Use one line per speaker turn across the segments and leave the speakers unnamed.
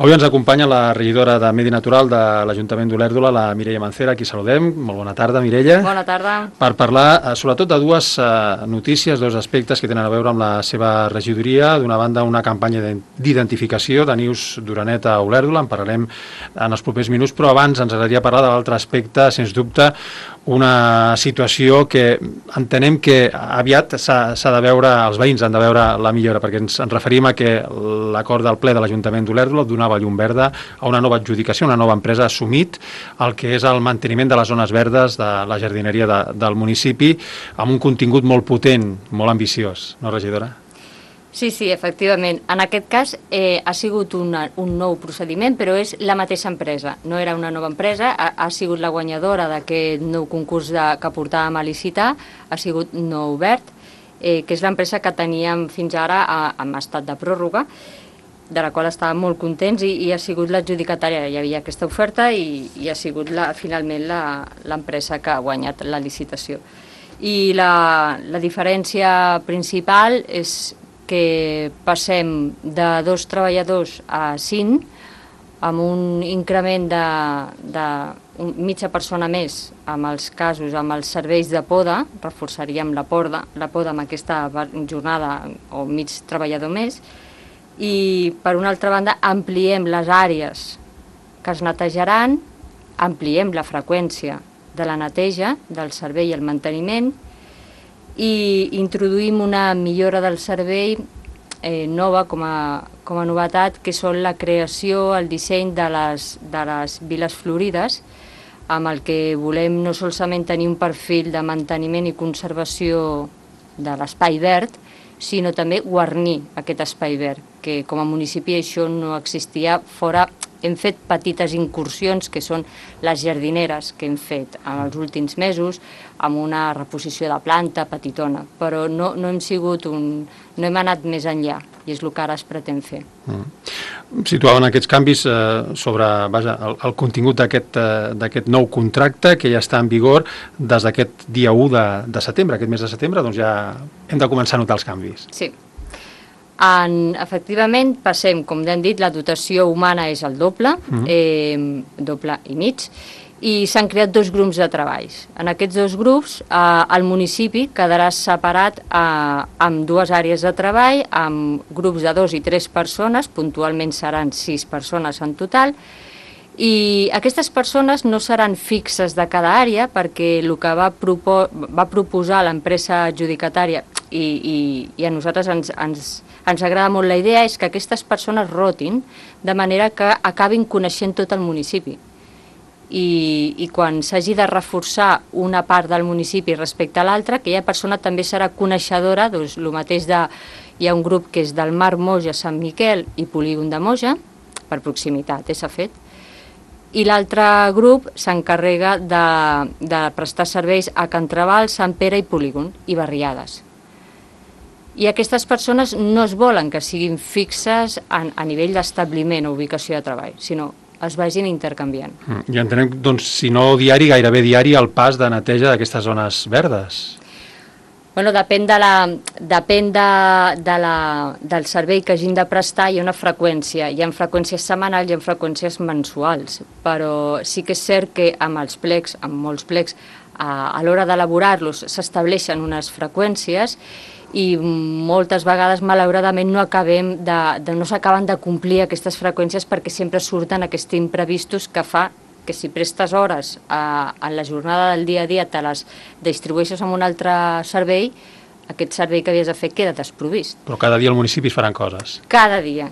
Avui ens acompanya la regidora de Medi Natural de l'Ajuntament d'Olèrdola, la Mireia Mancera, a qui saludem. Molt bona tarda, Mireia.
Bona tarda.
Per parlar sobretot de dues notícies, dos aspectes que tenen a veure amb la seva regidoria. D'una banda, una campanya d'identificació de nius d'oreneta a Olèrdola, en parlarem en els propers minuts, però abans ens agradaria parlar de l'altre aspecte, sens dubte, una situació que entenem que aviat s'ha de veure, els veïns han de veure la millora, perquè ens referim a que l'acord del ple de l'Ajuntament d'Olèrdola donava llum verda a una nova adjudicació, una nova empresa ha assumit el que és el manteniment de les zones verdes de la jardineria del municipi amb un contingut molt potent, molt ambiciós, no, regidora?
Sí, efectivament. En aquest cas ha sigut un nou procediment, però és la mateixa empresa. No era una nova empresa, ha sigut la guanyadora d'aquest nou concurs que portàvem a licitar, ha sigut No Obert, que és l'empresa que teníem fins ara en estat de pròrroga, de la qual estàvem molt contents i ha sigut l'adjudicatària. Hi havia aquesta oferta i ha sigut finalment l'empresa que ha guanyat la licitació. I la diferència principal és que passem de 2 treballadors a 5, amb un increment de mitja persona més amb els casos, amb els serveis de poda, reforçaríem la poda amb aquesta jornada o mig treballador més, i per una altra banda ampliem les àrees que es netejaran, ampliem la freqüència de la neteja, del servei i el manteniment, i introduïm una millora del servei nova com a novetat, que són la creació, el disseny de les viles florides, amb el que volem no solament tenir un perfil de manteniment i conservació de l'espai verd, sinó també guarnir aquest espai verd, que com a municipi això no existia fora. Hem fet petites incursions, que són les jardineres que hem fet en els últims mesos, amb una reposició de planta petitona, però no hem anat més enllà, i és el que ara es pretén fer.
Situaven aquests canvis sobre el contingut d'aquest nou contracte que ja està en vigor des d'aquest dia 1 de setembre, aquest mes de setembre, doncs ja hem de començar a notar els canvis.
Sí. Efectivament, passem, com ja hem dit, la dotació humana és el doble, doble i mig, i s'han creat 2 grups de treballs. En aquests 2 grups, el municipi quedarà separat amb 2 àrees de treball, amb grups de 2 i 3 persones, puntualment seran 6 persones en total, i aquestes persones no seran fixes de cada àrea, perquè el que va proposar l'empresa adjudicatària, i a nosaltres ens agrada molt la idea, és que aquestes persones rotin de manera que acabin coneixent tot el municipi. I quan s'hagi de reforçar una part del municipi respecte a l'altra, aquella persona també serà coneixedora, doncs el mateix hi ha un grup que és del Mar Moja, Sant Miquel i Polígon de Moja, per proximitat, s'ha fet, i l'altre grup s'encarrega de prestar serveis a Can Trabal, Sant Pere i Polígon, i Barriades. I aquestes persones no es volen que siguin fixes a nivell d'establiment o ubicació de treball, sinó es vagin intercanviant.
I entenem, doncs, si no diari, gairebé diari, el pas de neteja d'aquestes zones verdes.
Bueno, depèn del servei que hagin de prestar, hi ha una freqüència. Hi ha freqüències setmanals, hi ha freqüències mensuals, però sí que és cert que amb els plecs, amb molts plecs, a l'hora d'elaborar-los s'estableixen unes freqüències i moltes vegades, malauradament, no s'acaben de complir aquestes freqüències perquè sempre surten aquests imprevistos que fa que si prestes hores en la jornada del dia a dia te les distribueixes amb un altre servei, aquest servei que havies de fer queda desprovist.
Però cada dia al municipi es faran coses.
Cada dia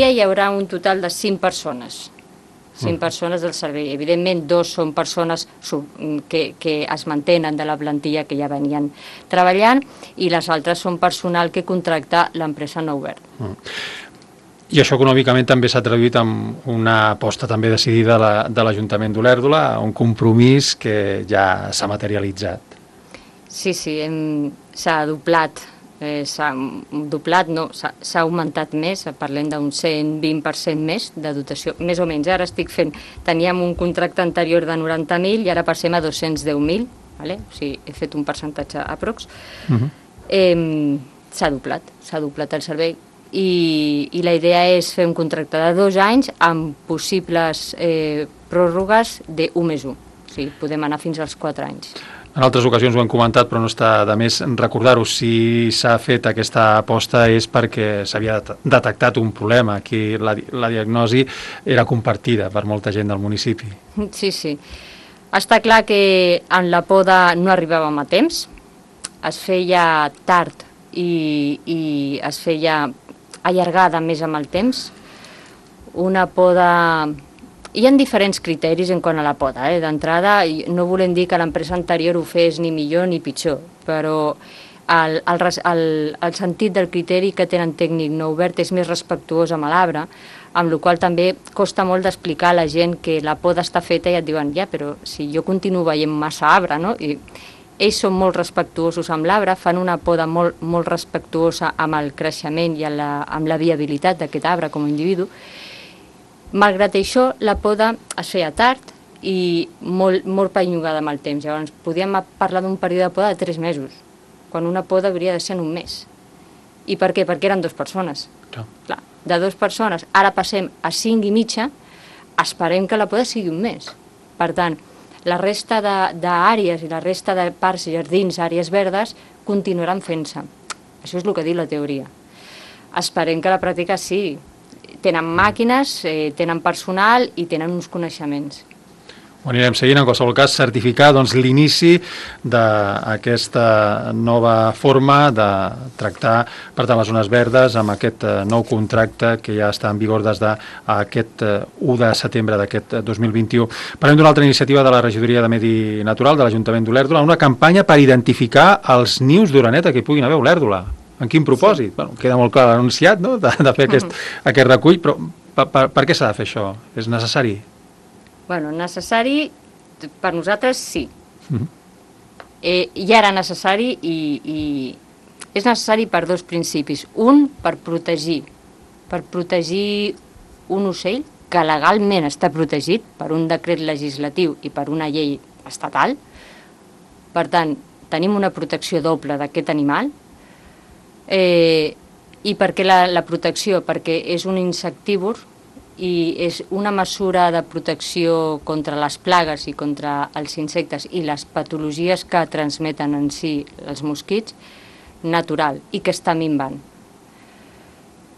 hi haurà un total de 5 persones. 5 persones del servei. Evidentment, 2 són persones que es mantenen de la plantilla que ja venien treballant i les altres són personal que contracta l'empresa No Obert.
I això econòmicament també s'ha traduït en una aposta també decidida de l'Ajuntament d'Olèrdola, un compromís que ja s'ha materialitzat.
Sí, s'ha doblat. S'ha augmentat més, parlem d'un 120% més de dotació, més o menys. Ara teníem un contracte anterior de 90.000 i ara passem a 210.000, o sigui, he fet un percentatge aprox. S'ha doblat el servei. i la idea és fer un contracte de 2 anys amb possibles pròrrogues d'1+1. O sigui, podem anar fins als 4 anys.
En altres ocasions ho hem comentat, però no està de més recordar-ho. Si s'ha fet aquesta aposta és perquè s'havia detectat un problema. Aquí la diagnosi era compartida per molta gent del municipi.
Sí, sí. Està clar que en la poda no arribàvem a temps, es feia tard i es feia allargada més amb el temps. Una poda... Hi ha diferents criteris en quant a la poda. D'entrada, no volem dir que l'empresa anterior ho fes ni millor ni pitjor, però el sentit del criteri que tenen tècnic no obert és més respectuós amb l'arbre, amb la qual també costa molt d'explicar a la gent que la poda està feta i et diuen, ja, però si jo continuo veient massa arbre, no? I ells són molt respectuosos amb l'arbre, fan una poda molt, molt respectuosa amb el creixement i amb la viabilitat d'aquest arbre com a individu. Malgrat això, la poda es feia tard i molt perllongada amb el temps. Llavors, podíem parlar d'un període de poda de 3 mesos, quan una poda hauria de ser en un mes. I per què? Perquè eren 2 persones. Clar, de 2 persones, ara passem a 5 i mitja, esperem que la poda sigui un mes. Per tant, la resta d'àrees i la resta de parcs, jardins, àrees verdes, continuaran fent-se. Això és el que diu la teoria. Esperem que la pràctica sí. Tenen màquines, tenen personal i tenen uns coneixements.
Ho anirem seguint, en qualsevol cas, certificar l'inici d'aquesta nova forma de tractar per tant les zones verdes amb aquest nou contracte que ja està en vigor des d'aquest 1 de setembre d'aquest 2021. Parlem d'una altra iniciativa de la Regidoria de Medi Natural de l'Ajuntament d'Olèrdola, una campanya per identificar els nius d'oreneta que hi puguin haver a Olèrdola. En quin propòsit? Bueno, queda molt clar l'anunciat, no?, de fer aquest recull, però per què s'ha de fer això? És necessari?
Bueno, necessari, per nosaltres sí. Ja era necessari i és necessari per 2 principis. Un, per protegir un ocell que legalment està protegit per un decret legislatiu i per una llei estatal. Per tant, tenim una protecció doble d'aquest animal. I per què la protecció? Perquè és un insectívor i és una mesura de protecció contra les plagues i contra els insectes i les patologies que transmeten en si els mosquits natural i que està minvant.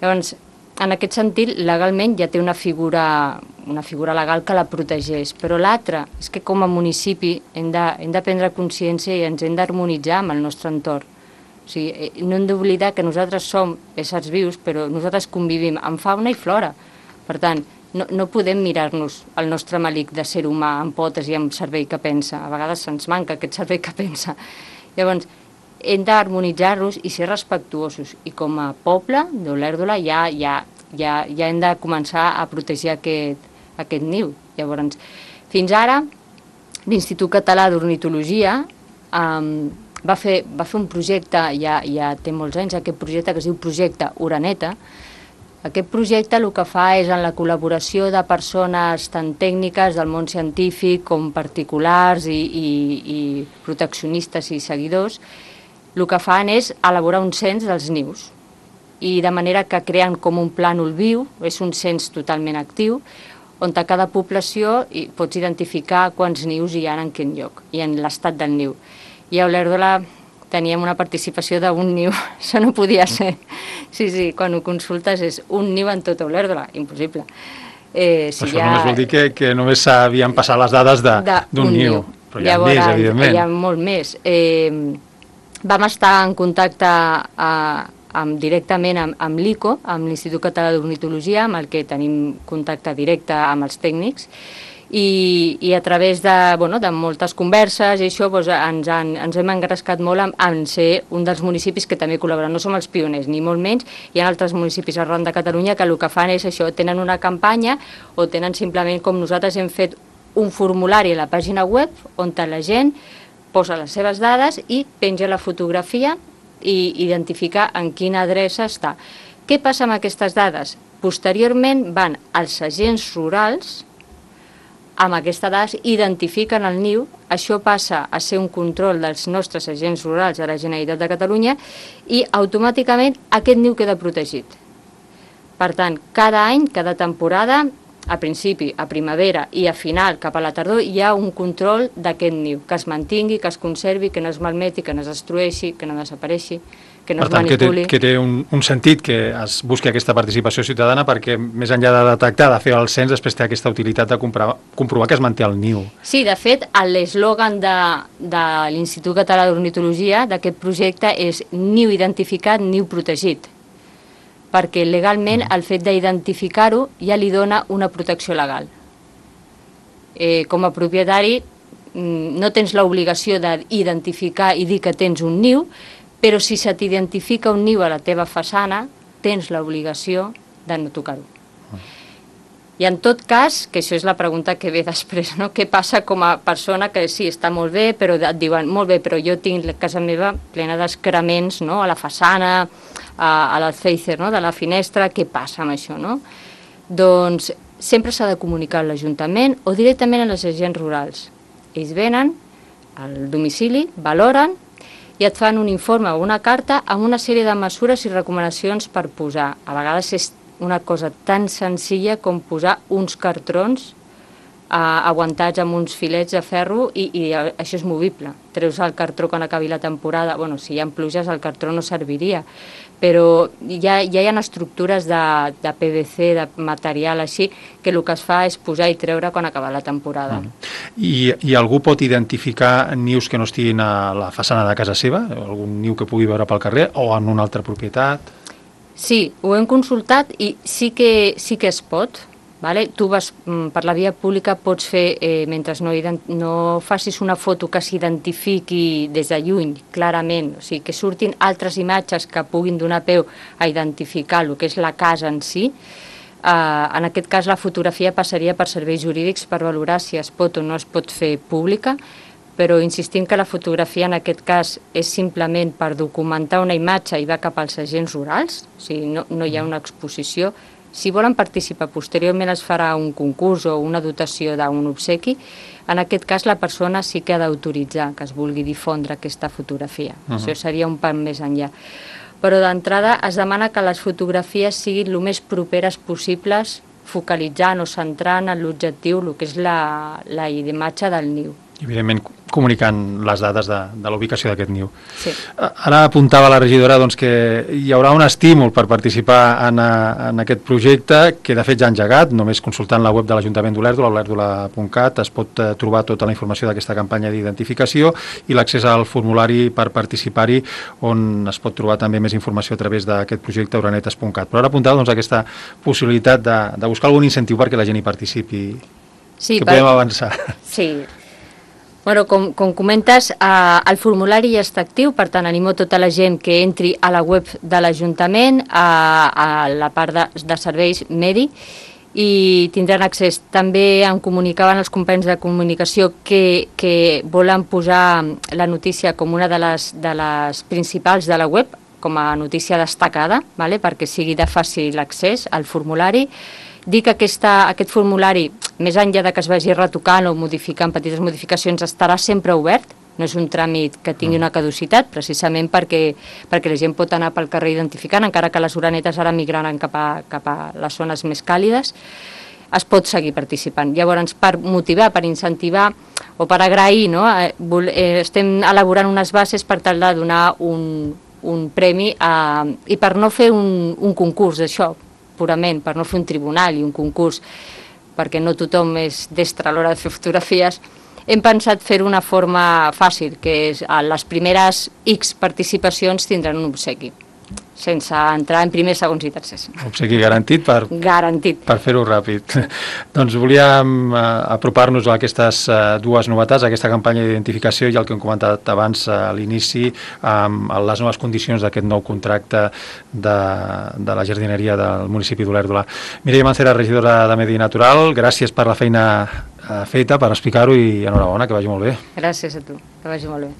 Llavors, en aquest sentit, legalment ja té una figura legal que la protegeix, però l'altra és que com a municipi hem de prendre consciència i ens hem d'harmonitzar amb el nostre entorn. O sigui, no hem d'oblidar que nosaltres som éssers vius, però nosaltres convivim amb fauna i flora. Per tant, no podem mirar-nos el nostre malic de ser humà amb potes i amb cervell que pensa. A vegades se'ns manca aquest cervell que pensa. Llavors, hem d'harmonitzar-nos i ser respectuosos. I com a poble d'Olèrdola ja hem de començar a protegir aquest niu. Llavors, fins ara, l'Institut Català d'Ornitologia va fer un projecte, ja té molts anys, aquest projecte que es diu Projecte Oreneta. Aquest projecte el que fa és, en la col·laboració de persones tant tècniques del món científic com particulars i proteccionistes i seguidors, el que fan és elaborar un cens dels nius. I de manera que creen com un plànol viu, és un cens totalment actiu, on a cada població pots identificar quants nius hi ha en quin lloc i en l'estat del niu. I a Olèrdola teníem una participació d'un niu, això no podia ser. Sí, quan ho consultes és un niu en tota Olèrdola, impossible.
Això només vol dir que només s'havien passat les dades d'un niu, però hi ha més, evidentment.
Hi ha molt més. Vam estar en contacte directament amb l'ICO, amb l'Institut Català d'Ornitologia, amb el que tenim contacte directe amb els tècnics, i a través de moltes converses i això ens hem engrescat molt en ser un dels municipis que també col·laboren. No som els pioners, ni molt menys. Hi ha altres municipis arreu de Catalunya que el que fan és això, tenen una campanya o tenen simplement, com nosaltres hem fet, un formulari a la pàgina web on la gent posa les seves dades i penja la fotografia i identifica en quina adreça està. Què passa amb aquestes dades? Posteriorment van als agents rurals, amb aquestes dades identifiquen el niu, això passa a ser un control dels nostres agents rurals de la Generalitat de Catalunya i automàticament aquest niu queda protegit. Per tant, cada any, cada temporada, a principi, a primavera i a final, cap a la tardor, hi ha un control d'aquest niu, que es mantingui, que es conservi, que no es malmeti, que no es destrueixi, que no desapareixi, que no es manipuli.
Que té un sentit que es busqui aquesta participació ciutadana perquè, més enllà de detectar, de fer el cens, després té aquesta utilitat de comprovar que es manté el niu.
Sí, de fet, l'eslògan de l'Institut Català d'Ornitologia d'aquest projecte és niu identificat, niu protegit, perquè legalment el fet d'identificar-ho ja li dona una protecció legal. Com a propietari no tens l'obligació d'identificar i dir que tens un niu, però si se t'identifica un niu a la teva façana, tens l'obligació de no tocar-ho. I en tot cas, que això és la pregunta que ve després, no? Què passa com a persona que sí, està molt bé, però et diuen, molt bé, però jo tinc la casa meva plena d'excrements, no? A la façana, a l'alféizer, no? De la finestra, què passa amb això, no? Doncs sempre s'ha de comunicar a l'Ajuntament o directament a les agents rurals. Ells venen al domicili, valoren i et fan un informe o una carta amb una sèrie de mesures i recomanacions per posar. A vegades és una cosa tan senzilla com posar uns cartrons aguantats amb uns filets de ferro i això és movible. Treus el cartró quan acabi la temporada, bueno, si hi ha pluges el cartró no serviria, però ja hi ha estructures de PVC, de material així, que el que es fa és posar i treure quan acaba la temporada.
I algú pot identificar nius que no estiguin a la façana de casa seva? Algun niu que pugui veure pel carrer o en una altra propietat?
Sí, ho hem consultat i sí que es pot. Vale? Tu vas per la via pública, pots fer, mentre no facis una foto que s'identifiqui des de lluny, clarament, o sigui, que surtin altres imatges que puguin donar peu a identificar el que és la casa en si. En aquest cas la fotografia passaria per serveis jurídics per valorar si es pot o no es pot fer pública, però insistim que la fotografia en aquest cas és simplement per documentar una imatge i va cap als agents rurals, o sigui, no hi ha una exposició. Si volen participar, posteriorment es farà un concurs o una dotació d'un obsequi. En aquest cas, la persona sí que ha d'autoritzar que es vulgui difondre aquesta fotografia. Això seria un pas més enllà. Però d'entrada es demana que les fotografies siguin el més properes possibles, focalitzant o centrant en l'objectiu, el que és la imatge del niu.
I, evidentment, comunicant les dades de la ubicació d'aquest niu.
Sí.
Ara apuntava la regidora que hi haurà un estímul per participar en aquest projecte, que de fet ja ha engegat, només consultant la web de l'Ajuntament d'Olèrdola, olèrdola.cat, es pot trobar tota la informació d'aquesta campanya d'identificació i l'accés al formulari per participar-hi, on es pot trobar també més informació a través d'aquest projecte uranetes.cat. Però ara apuntava aquesta possibilitat de buscar algun incentiu perquè la gent hi participi, que podem avançar.
Sí. Bueno, com comentes, el formulari ja està actiu, per tant animo tota la gent que entri a la web de l'Ajuntament, a la part de serveis medi, i tindran accés. També em comunicaven els companys de comunicació que volen posar la notícia com una de les principals de la web, com a notícia destacada, perquè sigui de fàcil accés al formulari. Dir que aquest formulari, més enllà de que es vagi retocant o modificant petites modificacions, estarà sempre obert, no és un tràmit que tingui una caducitat, precisament perquè la gent pot anar pel carrer identificant, encara que les uranetes ara migraran cap a les zones més càlides, es pot seguir participant. Llavors, per motivar, per incentivar o per agrair, estem elaborant unes bases per tal de donar un premi i per no fer un concurs d'això, purament, per no fer un tribunal i un concurs, perquè no tothom és destre a l'hora de fer fotografies, hem pensat fer una forma fàcil, que és les primeres X participacions tindran un obsequi, sense entrar en primers, segons i tercers.
Obsequi garantit per fer-ho ràpid. Doncs volíem apropar-nos a aquestes dues novetats, a aquesta campanya d'identificació i el que hem comentat abans a l'inici, amb les noves condicions d'aquest nou contracte de la jardineria del municipi d'Olèrdola. Mireia Mancera, regidora de Medi Natural, gràcies per la feina feta, per explicar-ho i enhorabona, que vagi molt bé.
Gràcies a tu, que vagi molt bé.